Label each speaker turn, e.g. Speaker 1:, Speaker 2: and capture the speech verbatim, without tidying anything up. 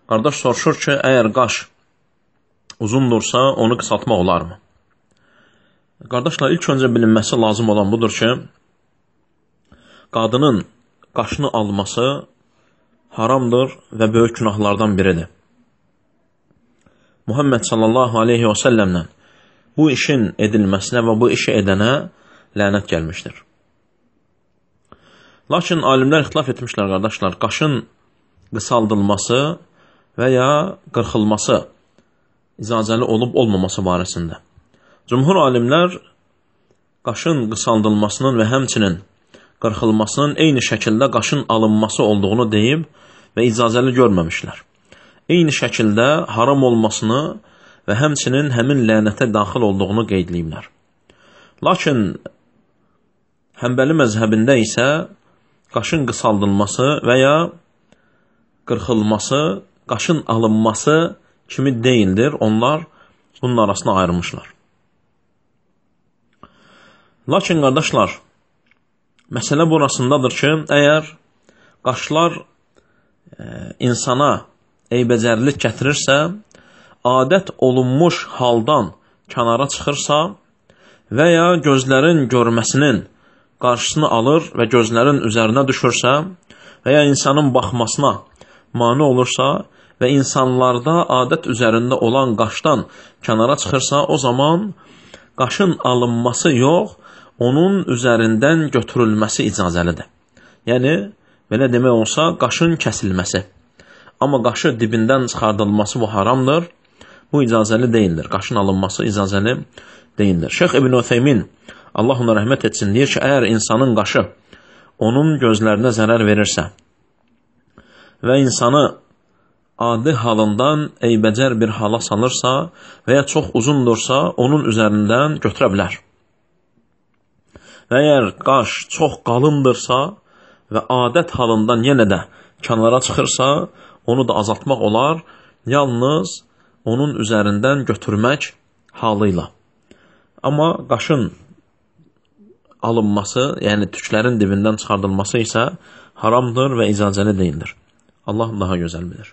Speaker 1: Qardaş soruşur ki, əgər qaş uzundursa, onu qısaltmaq olarmı? Qardaşlar, ilk öncə bilinməsi lazım olan budur ki, qadının qaşını alması haramdır və böyük günahlardan biridir. Muhammed sallallahu aleyhi və səlləmlə bu işin edilməsinə və bu işi edənə lənət gəlmişdir. Lakin alimlər ixtilaf etmişlər, qardaşlar, qaşın qısaldılması və ya qırxılması icazəli olub olmaması barəsində. Cümhur alimlər qaşın qısaldılmasının və həmçinin qırxılmasının eyni şəkildə qaşın alınması olduğunu deyib və icazəli görməmişlər. Eyni şəkildə haram olmasını və həmçinin həmin lənətə daxil olduğunu qeydləyiblər. Lakin Həmbəli məzhəbində isə qaşın qısaldılması və ya qırxılması, qaşın alınması kimi deyildir. Onlar bunun arasına ayrılmışlar. Lakin qardaşlar, məsələ burasındadır ki, əgər qaşlar e, insana eybəcərlik gətirirsə, adət olunmuş haldan kənara çıxırsa və ya gözlərin görməsinin qarşısını alır və gözlərin üzərinə düşürsə və ya insanın baxmasına mane olursa və insanlarda adət üzərində olan qaşdan kənara çıxırsa, o zaman qaşın alınması yox, onun üzərindən götürülməsi icazəlidir. Yəni, belə demək olsa, qaşın kəsilməsi. Amma qaşı dibindən çıxardılması bu haramdır, bu icazəli deyildir. Qaşın alınması icazəli deyildir. Şeyx İbn Utheymin, Allah ona rəhmət etsin, deyir ki, əgər insanın qaşı onun gözlərinə zərər verirsə və insanı adi halından eybəcər bir hala salırsa və ya çox uzundursa, onun üzərindən götürə bilər. Və əgər qaş çox qalındırsa və adət halından yenə də kənara çıxırsa, onu da azaltmaq olar, yalnız onun üzərindən götürmək halıyla. Amma qaşın alınması, yəni tüklərin dibindən çıxardılması isə haramdır və icazəli deyildir. Allah daha gözəl bilir.